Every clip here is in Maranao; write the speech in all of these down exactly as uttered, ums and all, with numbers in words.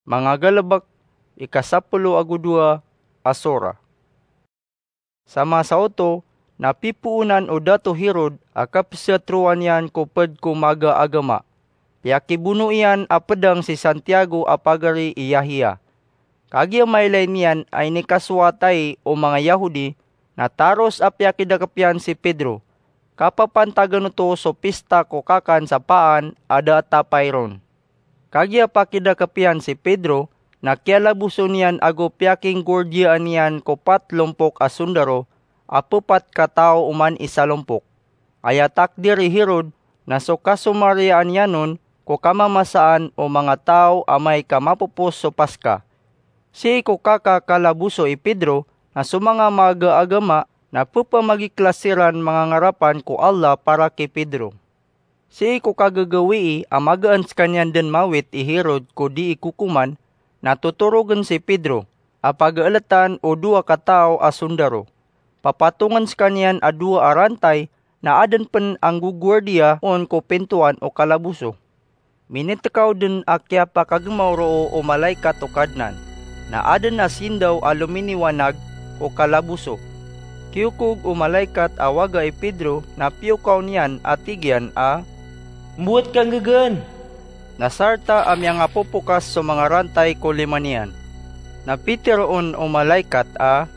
Mangagalebek, ika sapolo ago dowa a sora. Sa masa oto na pipoonan o Dato Herod a kapesatero iyan ko ped ko maga a agama. Piyakibono iyan a pedang si Santiago a pagari i Yahya. Kagiya mailay niyan a inikasoat ai o manga Yahudi, na taros a piyakidakep iyan si Pedro. Kapapantagan oto so pista ko kakan sa paan a da a tapay ron. Kagiya pakidakep iyan si Pedro, na kiyalaboso niyan ago piyakinggordiyaan iyan ko pat lompok a sondaro a pepat ka taw oman i salompok. Aya takdir i Herod na so kasomariyaan iyan on ko kamamasaan o manga taw amay ka mapopos so Paska. Sii ko kakakalaboso i Pedro na so manga maga a agama na pepamagiklas iran mangangarapan ko Allah para ki Pedro. Sii ko kagagawii a magaan sekaniyan den mawit i Herod ko dii kokoman, na totorogen si Pedro a pagaeletan o dowa ka taw a sondaro. Papatongen sekaniyan a dowa a rantay na aden pen anggogwardiya on ko pintoan o kalaboso. Minitekaw den a kiyapakagemaw roo o malaikat o Kadnan, na aden a sindaw a lominiwanag ko kalaboso. Kiyokog o malaikat a waga i Pedro na piyokaw niyan a tig iyan a, "Mbowat ka nggagaan?" Na sarta a miyangapopokas so manga rantay ko lima niyan. Na piteroon o malaikat a,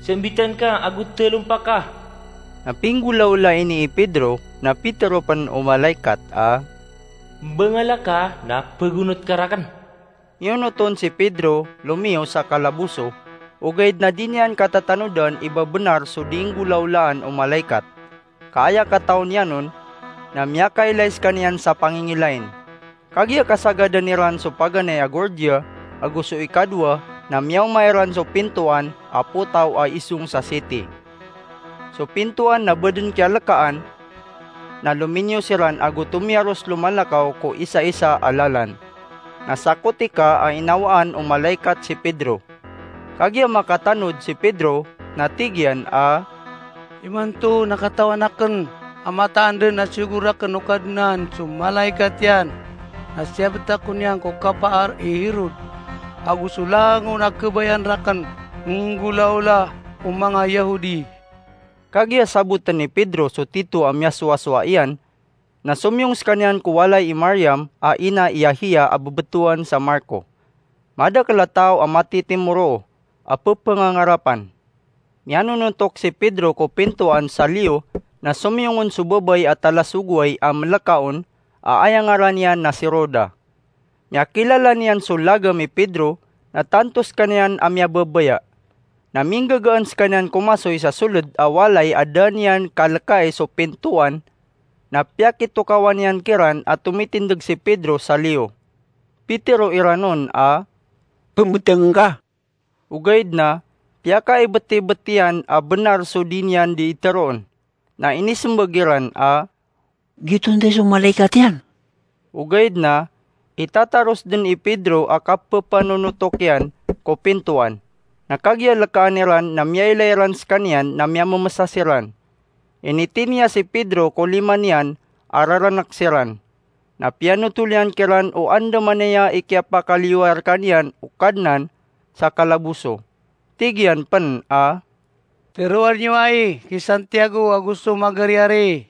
"Sembitan ka ago telompa ka." Na pinggolawla ini i Pedro, na pitero pen o malaikat a, "Mbangala ka na pegonot ka raken." Miyonoton si Pedro lomiyo sa kalaboso, ogaid na di niyan katatanodan i babenar so dii nggolawlaan o malaikat. Ka aya katawan iyan on, na miyakailay sekaniyan sa pangingilain. Kagiya kasagadan iran so paganay a gordiya ago so ikadowa, na miyaoma iran so pintoan a potaw a isong sa siti. So pintoan na ba den kiyalekaan, na lominiyo siran ago tomiyaros lomalakaw ko isaisa a lalan. Na sakotika a inawaan o malaikat si Pedro. Kagiya makatanod si Pedro, na tig iyan a, "Imanto na katawan aken a mataan den a siyogo raken o Kadnan so malaikat iyan, na siyabet ako niyan ko kapaar i Herod, ago so langon a kebayaan raken nggolawla o manga Yahudi." Kagiya saboten i Pedro so tito a miyasowasowa iyan, na somiyong sekaniyan ko walay i Mariam a ina i Yahya a bebetowan sa Marko. Madakel a taw a matitimoroo a pepengangarapan. Miyanonotok si Pedro ko pintoan sa liyo, na somiyong on so babay a talasogoway a meleka on a aya ngaran iyan na si Roda. Miyakilala niyan so lagam i Pedro, na tanto sekaniyan a miyababaya. Na minggagaan sekaniyan komasoy sa soled a walay a da niyan kalekaay so pintoan, na piyakitokawan iyan kiran a tomitindeg si Pedro sa liyo. Pitero iran on a, "Pemeteng ka." Ogaid na piyakaibetibet iyan a benar so di niyan di iteroon. Na inisembag iran a, "Giyoto nday so malaikat iyan." Ogaid na itataros den i Pedro a kapepanonotok iyan ko pintoan. Na kagiya lekaan iran na miyailay ran sekaniyan na miyamemesa siran. Initiniya si Pedro ko lima niyan a raranek siran. Na piyanotol iyan kiran o andamanaya i kiyapakaliyoa rekaniyan o Kadnan sa kalaboso. Tig iyan pen a, "Teroan iyo ai ki Santiago ago so magariyari."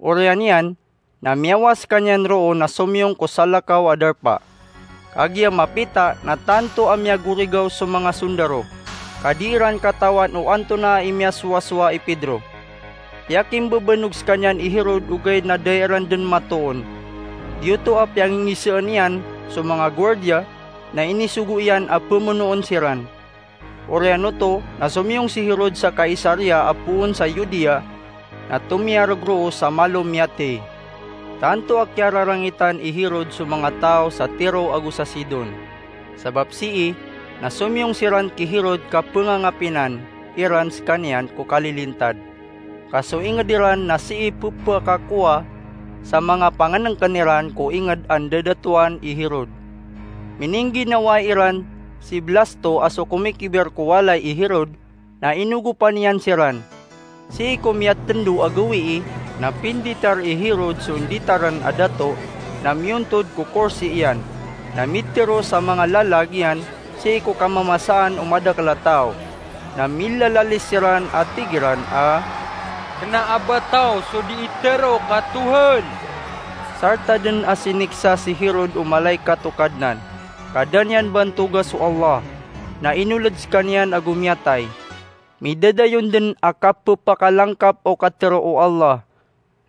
Oriyan iyan na miyawas sekaniyan roo na somiyong ko salakaw a darpa. Kagiya mapita na tanto a miyagorigaw so manga sondaro, ka di iran katawan o antonaa i miyasowasowa i Pedro. Piyakimbebenog sekaniyan i Herod ogaid na da iran den matoon. Giyoto a piyangingiseen iyan so manga guwardiya na inisogo iyan a pemonoon siran. Oriyan oto na somiyong si Herod sa Kaisaria a poon sa Judea, na tomiyareg roo sa malo miyatey. Tanto a kiyararangitan i Herod so manga taw sa Tiro ago sa Sidon. Sabap sii na somiyong siran ki Herod ka pengangapinan iran sekaniyan ko kalilintad. Ka so inged iran na sii pepakakowa sa manga pangenengken iran ko inged a ndadatoan i Herod. Miningginawai iran si Blasto a so komikiber ko walay i Herod, na inogopan iyan siran. Sii ko miyatendo a gawii na pinditar i Herod so nditaren a dato, na miyontod ko korsi iyan. Na mitharo sa manga lalag iyan sii ko kamamasaan o madakl a taw, na milalalis siran a tig iran a, "Kna a ba taw so dii tharoa ka Tohan?" Sarta dn a siniksa si Herod o malaikat o Kadnan, ka da niyan bantoga so Allah, na inoled skaniyan ago miyatay. Midadayon dn a kapphakalangkap o katharo o Allah.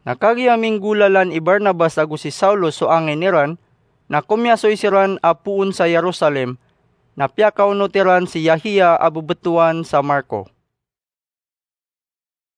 Na kagiya minggolalan i Barnabas ago si Saulo so angin iran, na komiyasoy siran a poon sa Jerusalem, na piyakaonot iran si Yahya a bbtowan sa Marko.